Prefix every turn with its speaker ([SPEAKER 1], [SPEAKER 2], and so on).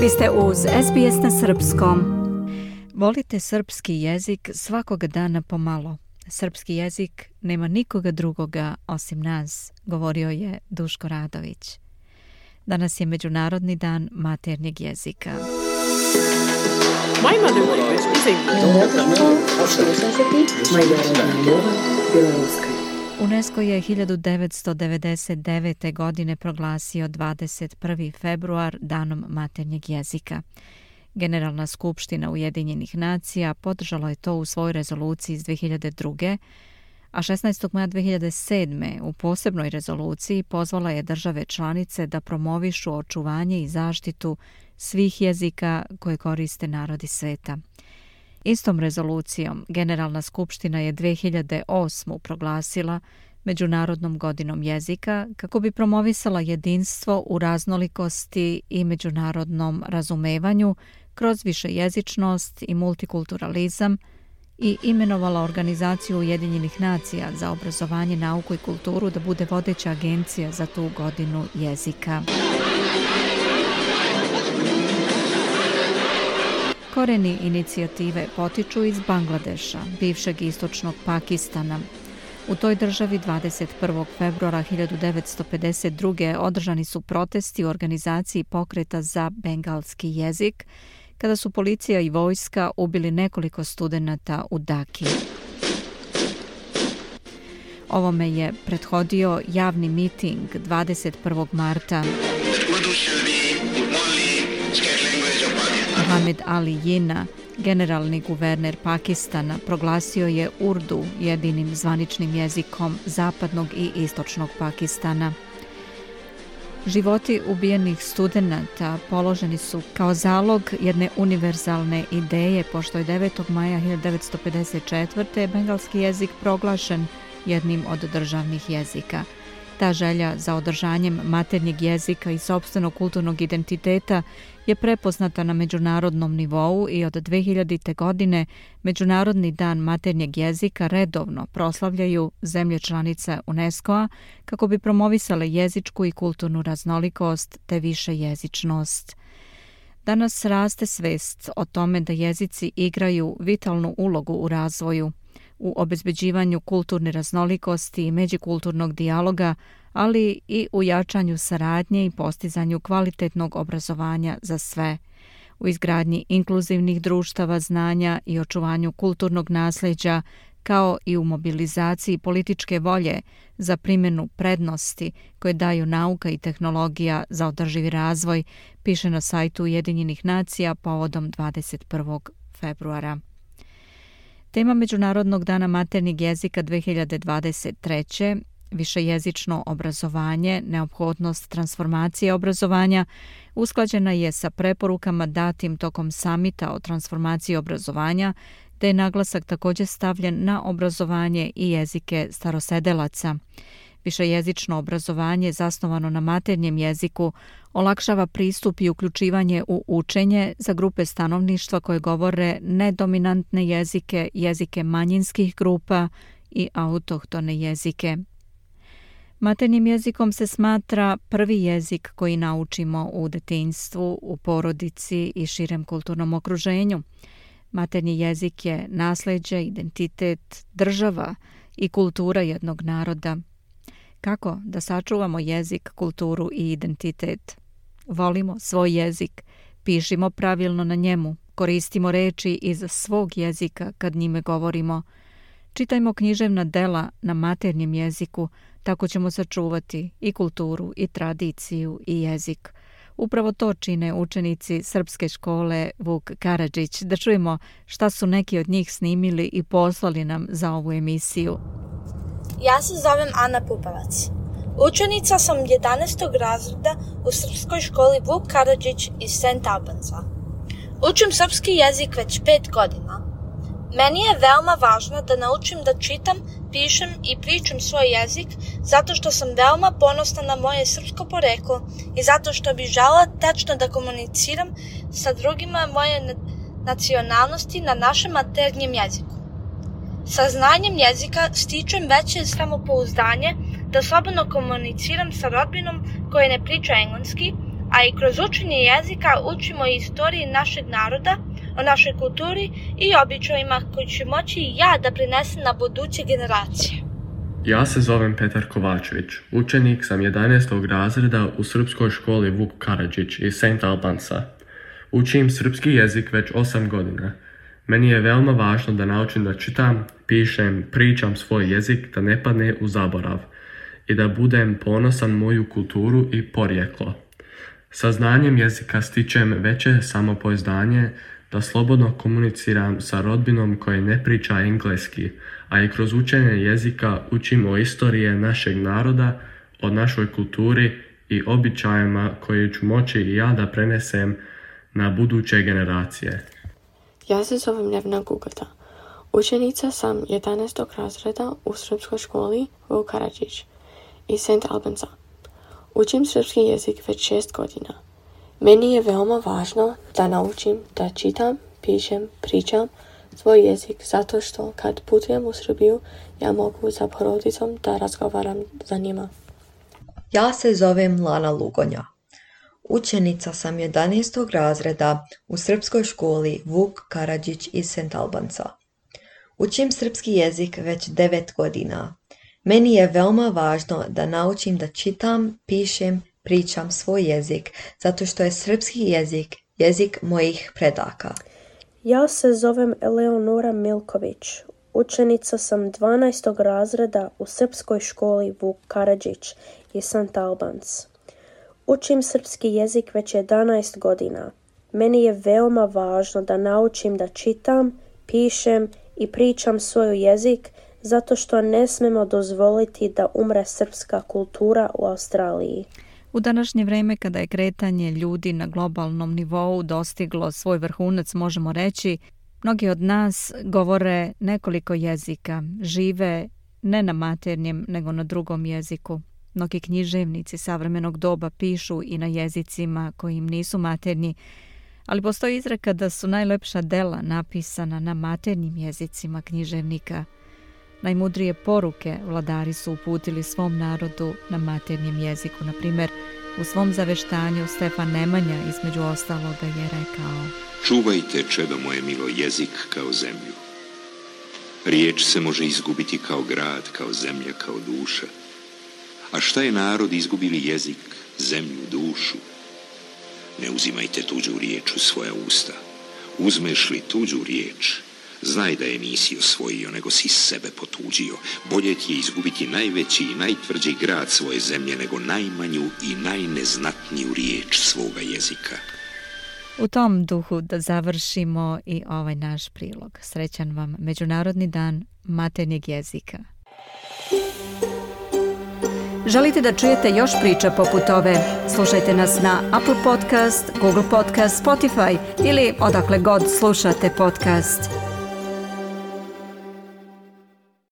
[SPEAKER 1] Vi ste uz SBS na srpskom. Volite srpski jezik svakoga dana pomalo. Srpski jezik nema nikoga drugoga osim nas, govorio je Duško Radović. Danas je Međunarodni dan maternjeg jezika.
[SPEAKER 2] My mother language is English.
[SPEAKER 1] UNESCO je 1999. godine proglasio 21. februar danom maternjeg jezika. Generalna skupština Ujedinjenih nacija podržala je to u svojoj rezoluciji iz 2002. a 16. maja 2007. u posebnoj rezoluciji pozvala je države članice da promovišu očuvanje i zaštitu svih jezika koje koriste narodi sveta. Istom rezolucijom Generalna skupština je 2008. proglasila Međunarodnom godinom jezika kako bi promovisala jedinstvo u raznolikosti i međunarodnom razumevanju kroz višejezičnost i multikulturalizam i imenovala Organizaciju Ujedinjenih nacija za obrazovanje, nauku i kulturu da bude vodeća agencija za tu godinu jezika. Koreni inicijative potiču iz Bangladeša, bivšeg istočnog Pakistana. U toj državi 21. februara 1952. održani su protesti u organizaciji pokreta za bengalski jezik, kada su policija i vojska ubili nekoliko studenata u Dhaki. Ovome je prethodio javni miting 21. marta. Mohamed Ali Jinnah, generalni guverner Pakistana, proglasio je Urdu jedinim zvaničnim jezikom zapadnog i istočnog Pakistana. Životi ubijenih studenata položeni su kao zalog jedne univerzalne ideje, pošto je 9. maja 1954. bengalski jezik proglašen jednim od državnih jezika. Ta želja za održanjem maternjeg jezika i sopstvenog kulturnog identiteta je prepoznata na međunarodnom nivou i od 2000. godine Međunarodni dan maternjeg jezika redovno proslavljaju zemlje članice UNESCO-a kako bi promovisale jezičku i kulturnu raznolikost te višejezičnost. Danas raste svest o tome da jezici igraju vitalnu ulogu u razvoju, u obezbeđivanju kulturne raznolikosti i međukulturnog dijaloga, ali i u jačanju saradnje i postizanju kvalitetnog obrazovanja za sve, u izgradnji inkluzivnih društava znanja i očuvanju kulturnog nasljeđa, kao i u mobilizaciji političke volje za primjenu prednosti koje daju nauka i tehnologija za održivi razvoj, piše na sajtu Ujedinjenih nacija povodom 21. februara. Tema Međunarodnog dana maternjeg jezika 2023. višejezično obrazovanje, neophodnost transformacije obrazovanja, usklađena je sa preporukama datim tokom samita o transformaciji obrazovanja, te je naglasak također stavljen na obrazovanje i jezike starosedelaca. Višejezično obrazovanje zasnovano na maternjem jeziku olakšava pristup i uključivanje u učenje za grupe stanovništva koje govore nedominantne jezike, jezike manjinskih grupa i autohtone jezike. Maternjim jezikom se smatra prvi jezik koji naučimo u detinjstvu, u porodici i širem kulturnom okruženju. Maternji jezik je nasljeđe, identitet, država i kultura jednog naroda. Kako da sačuvamo jezik, kulturu i identitet? Volimo svoj jezik, pišimo pravilno na njemu, koristimo reči iz svog jezika kad njime govorimo. Čitajmo književna dela na maternjem jeziku, tako ćemo sačuvati i kulturu, i tradiciju, i jezik. Upravo to čine učenici srpske škole Vuk Karadžić. Da čujemo šta su neki od njih snimili i poslali nam za ovu emisiju.
[SPEAKER 3] Ja se zovem Ana Pupavac. Učenica sam 11. razreda u srpskoj školi Vuk Karadžić iz St. Albansa. Učim srpski jezik već 5 godina. Meni je veoma važno da naučim da čitam, pišem i pričam svoj jezik zato što sam veoma ponosna na moje srpsko poreklo i zato što bih želela tečno da komuniciram sa drugima moje nacionalnosti na našem maternjem jeziku. Sa znanjem jezika stičem veće samopouzdanje da slobodno komuniciram sa rodbinom koja ne priča engleski, a i kroz učenje jezika učimo o istoriji našeg naroda, o našoj kulturi i običajima koji ću moći i ja da prinesem na buduće generacije.
[SPEAKER 4] Ja se zovem Petar Kovačević, učenik sam 11. razreda u srpskoj školi Vuk Karadžić iz St. Albansa. Učim srpski jezik već 8 godina. Meni je veoma važno da naučim da čitam, pišem, pričam svoj jezik, da ne padne u zaborav i da budem ponosan moju kulturu i porijeklo. Sa znanjem jezika stičem veće samopouzdanje da slobodno komuniciram sa rodbinom koja ne priča engleski, a i kroz učenje jezika učim o istoriji našeg naroda, o našoj kulturi i običajima koje ću moći i ja da prenesem na buduće generacije.
[SPEAKER 5] Ja se zovem Nevna Gugata. Učenica sam 11. razreda u srpskoj školi Vuk Karadžić iz St. Albansa. Učim srpski jezik već 6 godina. Meni je veoma važno da naučim da čitam, pišem, pričam svoj jezik zato što kad putujem u Srbiju ja mogu sa porodicom da razgovaram za njima.
[SPEAKER 6] Ja se zovem Lana Lugonja. Učenica sam 11. razreda u srpskoj školi Vuk Karadžić iz St. Albansa. Učim srpski jezik već 9 godina. Meni je veoma važno da naučim da čitam, pišem, pričam svoj jezik, zato što je srpski jezik jezik mojih predaka.
[SPEAKER 7] Ja se zovem Eleonora Milković. Učenica sam 12. razreda u srpskoj školi Vuk Karadžić iz St. Albans. Učim srpski jezik već 11 godina. Meni je veoma važno da naučim da čitam, pišem i pričam svoj jezik, zato što ne smemo dozvoliti da umre srpska kultura u Australiji.
[SPEAKER 1] U današnje vreme kada je kretanje ljudi na globalnom nivou dostiglo svoj vrhunac, možemo reći, mnogi od nas govore nekoliko jezika, žive ne na maternjem nego na drugom jeziku. Mnogi književnici savremenog doba pišu i na jezicima koji im nisu maternji, ali postoji izreka da su najlepša dela napisana na maternjim jezicima književnika. Najmudrije poruke vladari su uputili svom narodu na maternjem jeziku. Na primjer, u svom zaveštanju Stefan Nemanja između ostaloga je rekao:
[SPEAKER 8] Čuvajte, čedo moje milo, jezik kao zemlju. Riječ se može izgubiti kao grad, kao zemlja, kao duša. A šta je narod izgubili jezik, zemlju, dušu? Ne uzimajte tuđu riječ u svoja usta. Uzmeš li tuđu riječ, znaj da je nisi osvojio, nego si sebe potuđio. Bolje ti je izgubiti najveći i najtvrđi grad svoje zemlje, nego najmanju i najneznatniju riječ svoga jezika.
[SPEAKER 1] U tom duhu da završimo i ovaj naš prilog. Srećan vam Međunarodni dan maternjeg jezika. Želite da čujete još priča poput ove? Slušajte nas na Apple Podcast, Google Podcast, Spotify ili odakle god slušate podcast.